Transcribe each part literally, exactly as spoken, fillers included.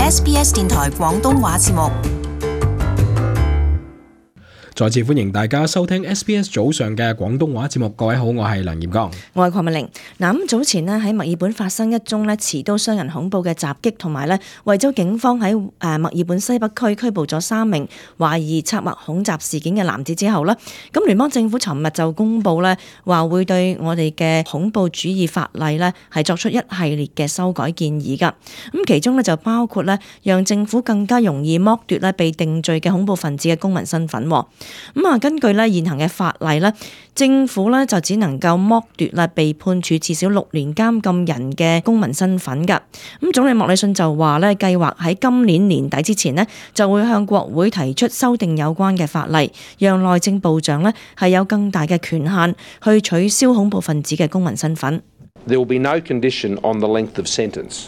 S B S 電台廣東話節目。再次歡迎大家收聽 S B S 早上嘅廣東話節目。各位好，我係梁炎剛，我係鄺美玲。嗱，咁早前咧喺墨爾本發生一宗咧持刀傷人恐怖嘅襲擊，同埋咧維州警方喺誒墨爾本西北區拘捕咗三名懷疑策劃恐襲事件嘅男子之後咧，咁聯邦政府尋日就公布咧話會對我哋嘅恐怖主義法例咧係作出一系列嘅修改建議噶。咁其中咧就包括咧讓政府更加容易剝奪咧被定罪嘅恐怖分子嘅公民身份。咁啊，根據咧現行嘅法例咧，政府咧就只能夠剝奪啦被判處至少六年監禁人嘅公民身份㗎。咁總理莫里遜就話咧，計劃喺今年年底之前咧就會向國會提出修訂有關嘅法例，讓內政部長咧係有更大嘅權限去取消恐怖分子嘅公民身份。There will be no condition on the length of sentence.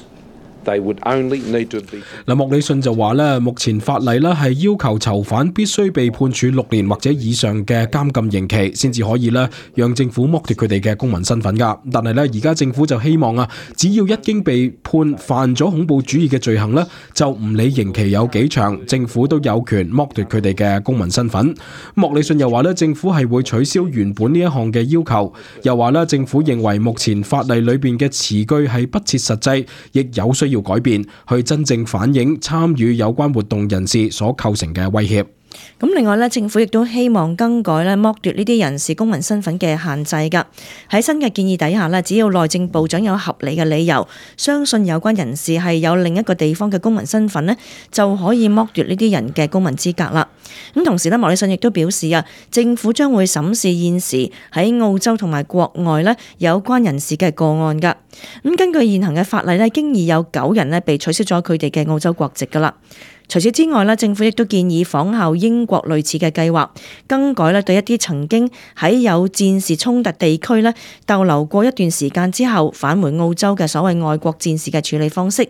They would only need to be. 嗱，莫里遜就話咧，目前法例咧係要求囚犯必須被判處六年或者以上嘅監禁刑期，先至可以咧讓政府剝奪佢哋嘅公民身份噶。但係咧，而家政府就希望啊，只要一經被判犯咗恐怖主義嘅罪行咧，就唔理刑期有幾長，政府都有權剝奪佢哋嘅公民身份。莫里遜又話咧，政府係會取消原本呢一項嘅要求，又話咧，政府認為目前法例裏邊嘅詞句係不切實際，亦有需要改變，去真正反映參與有關活動人士所構成嘅威脅。咁另外咧，政府亦都希望更改咧剝奪呢啲人士公民身份嘅限制㗎。喺新嘅建議底下咧，只要內政部長有合理嘅理由，相信有關人士係有另一個地方嘅公民身份咧，就可以剝奪呢啲人嘅公民資格啦。咁同時咧，莫里遜亦都表示啊，政府將會審視現時喺澳洲同埋國外咧有關人士嘅個案㗎。咁根據現行嘅法例咧，經已有九人咧被取消咗佢哋嘅澳洲國籍㗎啦。除此之外咧，政府亦都建議仿效英國類似嘅計劃，更改咧對一啲曾經喺有戰事衝突地區咧逗留過一段時間之後返回澳洲嘅所謂外國戰士嘅處理方式。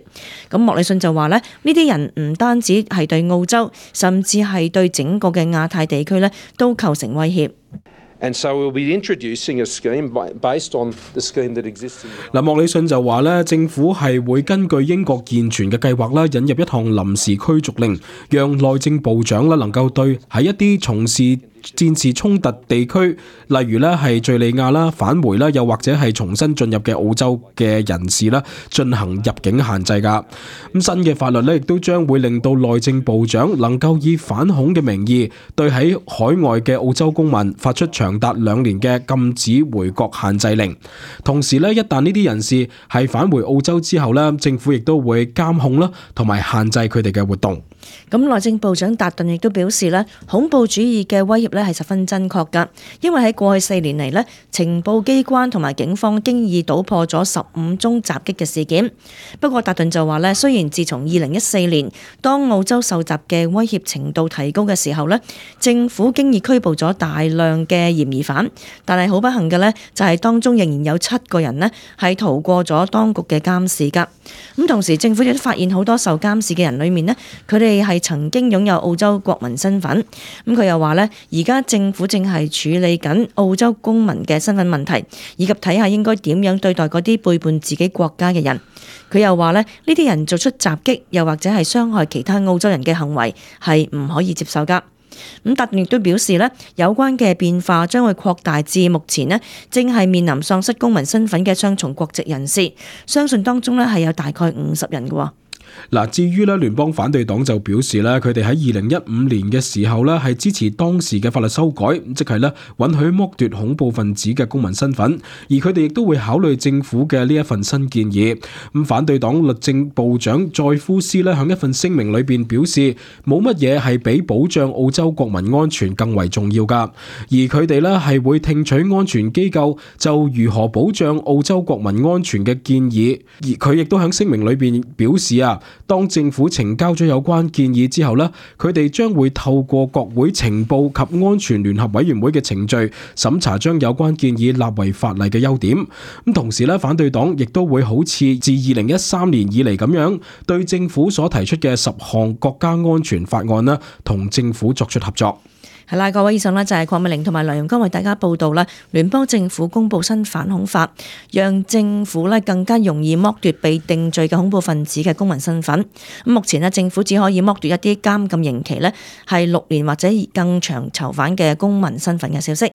咁莫里遜就話咧，呢啲人唔單止係對澳洲，甚至係對整個嘅亞太地區咧都構成威脅。And so we'll be introducing a scheme based on the scheme that exists. 嗱，莫里遜就話咧，政府係會根據英國健全嘅計劃啦，引入一項臨時驅逐令，讓內政部長啦能夠對喺一啲從事戰事衝突地區，例如咧係敘利亞啦、返回啦，又或者係重新進入嘅澳洲嘅人士啦，進行入境限制噶。咁新嘅法律咧，亦都將會令到內政部長能夠以反恐嘅名義，對喺海外嘅澳洲公民發出長達兩年嘅禁止回國限制令。同時咧，一旦呢啲人士係返回澳洲之後咧，政府亦都會監控啦，同埋限制佢哋嘅活動。咁內政部長達頓亦都表示咧，恐怖主義嘅威脅咧係十分真確㗎，因為喺過去四年嚟咧，情報機關同埋警方經已搗破咗十五宗襲擊嘅事件。不過達頓就話咧，雖然自從二零一四年當澳洲受襲嘅威脅程度提高嘅時候咧，政府經已拘捕咗大量嘅嫌疑犯，但係好不幸嘅咧，就係當中仍然有七個人咧係逃過咗當局嘅監視㗎。咁同時政府亦都發現好多受監視嘅人裏面咧，佢哋係曾經擁有澳洲國民身份。咁佢又話咧，而家政府正係處理緊澳洲公民嘅身份問題，以及睇下應該點樣對待嗰啲背叛自己國家嘅人。佢又話咧，呢啲人做出襲擊又或者係傷害其他澳洲人嘅行為係唔可以接受㗎。咁達頓亦都表示咧，有關嘅變化將會擴大至目前咧正係面臨喪失公民身份嘅雙重國籍人士，相信當中咧係有大概五十人嘅。嗱，至於咧聯邦反對黨就表示咧，佢哋喺二零一五年嘅時候咧係支持當時嘅法律修改，即係咧允許剝奪恐怖分子嘅公民身份，而佢哋亦都會考慮政府嘅呢一份新建議。咁反對黨律政部長載夫斯咧響一份聲明裏邊表示，冇乜嘢係比保障澳洲國民安全更為重要噶，而佢哋咧係會聽取安全機構就如何保障澳洲國民安全嘅建議。而佢亦都響聲明裏邊表示啊，當政府呈交咗有關建議之後呢，佢哋將會透過國會情報及安全聯合委員會嘅程序審查，將有關建議納為法例嘅優點。咁同時呢，反對黨亦都會好似自二零一三年以嚟咁樣，對政府所提出嘅十項國家安全法案呢，同政府作出合作。係啦，各位以上呢就係鄺美玲同埋梁容光為大家報道啦。聯邦政府公布新反恐法，讓政府呢更加容易剝奪被定罪嘅恐怖分子嘅公民身份。咁目前呢，政府只可以剝奪一啲監禁刑期呢係六年或者更長囚犯嘅公民身份嘅消息。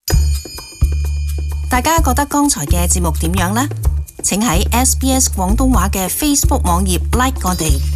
大家覺得剛才嘅節目點樣呢？請喺 S B S 廣東話嘅 Facebook 網頁 like 我哋。